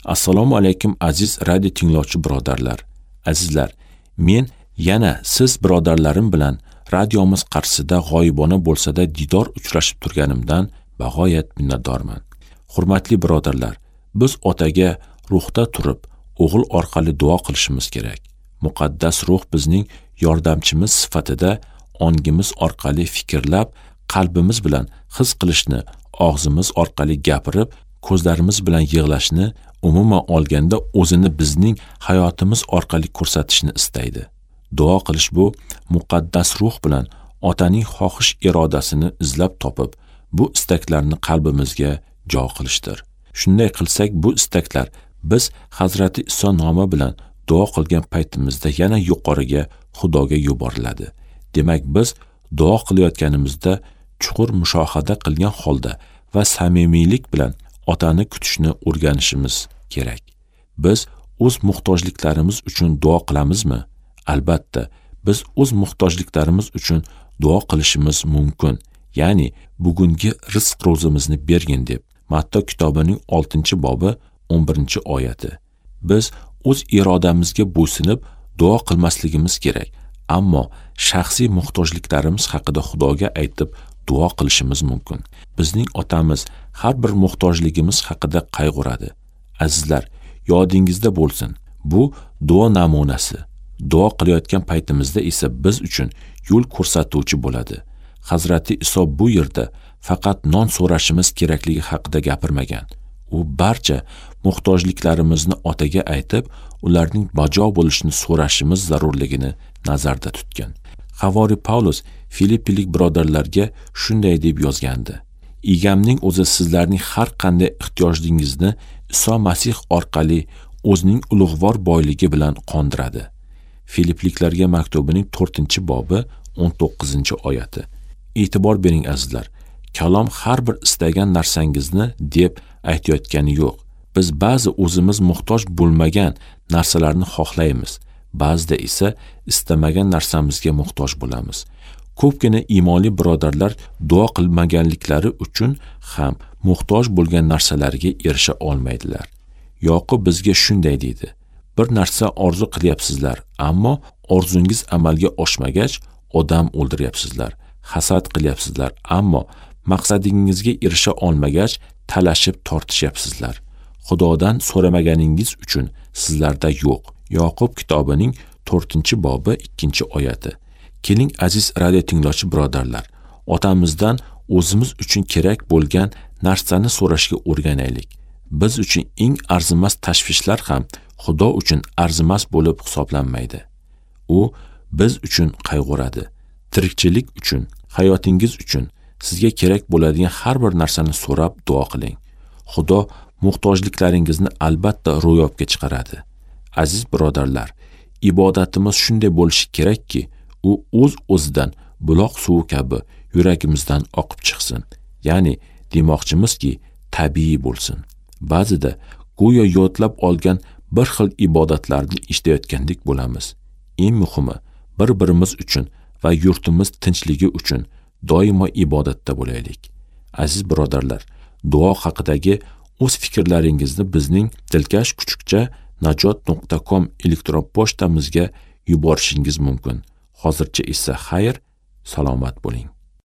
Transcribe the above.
Assalomu alaykum aziz radio tinglovchi birodarlar. Azizlar, men yana siz birodarlarim bilan radiomiz qarshisida g'oyibona bo'lsa-da didor uchrashib turganimdan bag'oyat minnatdorman. Hurmatli birodarlar, biz otaga ruhda turib, o'g'il orqali duo qilishimiz kerak. Muqaddas ruh bizning yordamchimiz sifatida ongimiz orqali fikrlab, qalbimiz bilan his qilishni, og'zimiz orqali gapirib, ko'zlarimiz bilan yig'lashni, umuman olganda o'zini bizning hayotimiz orqali ko'rsatishni istaydi. Duo qilish bu muqaddas ruh bilan otaning xohish irodasini izlab topib, bu istaklarni qalbimizga jo qilishdir. Shunday qilsak, bu istaklar biz Hazrati Iso nomi bilan duo qilgan paytimizda yana yuqoriga, Xudoga yuboriladi. Demak, biz duo qilayotganimizda chuqur mushohada qilgan holda va samimiylik bilan otani kutishni o'rganishimiz kerak. Biz o'z muhtojliklarimiz uchun duo qilamizmi? Albatta, biz o'z muhtojliklarimiz uchun duo qilishimiz mumkin. Ya'ni bugungi rizq ro'zimizni bergin deb. Matto kitobining 6-bobi 11-oyati. Biz o'z irodamizga bo'ysunib duo qilmasligimiz kerak, ammo shaxsiy muhtojliklarimiz haqida Xudoga aytib duo qilishimiz mumkin. Bizning otamiz har bir muhtojligimiz haqida qayg'uradi. Azizlar, yodingizda bo'lsin, bu duo namunasi. Duo qilayotgan paytimizda esa biz uchun yo'l ko'rsatuvchi bo'ladi. Hazrati Iso bu yerda faqat non so'rashimiz kerakligi haqida gapirmagan. U barcha muhtojliklarimizni otaga aytib, ularning bajo bo'lishini so'rashimiz zarurligini nazarda tutgan. Havori Pavlus Filippilik birodarlarga shunday deb yozgandi: Egamning o'zi sizlarning har qanday ehtiyojingizni Iso Masih orqali o'zining ulug'vor boyligi bilan qondiradi. Filipliklarga maktubining 4-bobi 19-oyati. E'tibor bering azizlar, kalom har bir istagan narsangizni deb aytayotgani yo'q. Biz ba'zi o'zimiz muhtoj bo'lmagan narsalarni xohlaymiz, ba'zida esa istamagan narsamizga muhtoj bo'lamiz. Ko'pgina iymonli birodarlar duo qilmaganliklari uchun ham muhtoj bo'lgan narsalarga erisha olmaydilar. Yoqub bizga shunday deydi: bir narsa orzu qilyapsizlar, ammo orzungiz amalga oshmagach odam o'ldiryapsizlar, hasad qilyapsizlar, ammo maqsadingizga erisha olmagach talashib tortishyapsizlar. Xudodan so'ramaganingiz uchun sizlarda yo'q. Yoqub kitobining 4-bobi 2-oyati. Keling aziz radio tinglovchi birodarlar, otamizdan o'zimiz uchun kerak bo'lgan narsani so'rashga o'rganaylik. Biz uchun eng arzimas tashvishlar ham Xudo uchun arzimas bo'lib hisoblanmaydi. U biz uchun qayg'uradi. Tirikchilik uchun, hayotingiz uchun sizga kerak bo'ladigan har bir narsani so'rab duo qiling. Xudo muhtojliklaringizni albatta ro'yobga chiqaradi. Aziz birodarlar, ibodatimiz shunday bo'lishi kerakki, u o'z-o'zidan buloq suvi kabi yuragimizdan oqib chiqsin. Ya'ni demoqchimizki, tabiiy bo'lsin. Ba'zida go'yo yodlab olgan bir xil ibodatlarni ishlayotgandek bo'lamiz. Eng muhimi, bir-birimiz uchun va yurtimiz tinchligi uchun doimo ibodatda bo'laylik. Aziz birodarlar, duo haqidagi o'z fikrlaringizni bizning dilkash kuchukcha najot.com elektron pochtamizga yuborishingiz mumkin. Hozircha esa xayr, salomat bo'ling.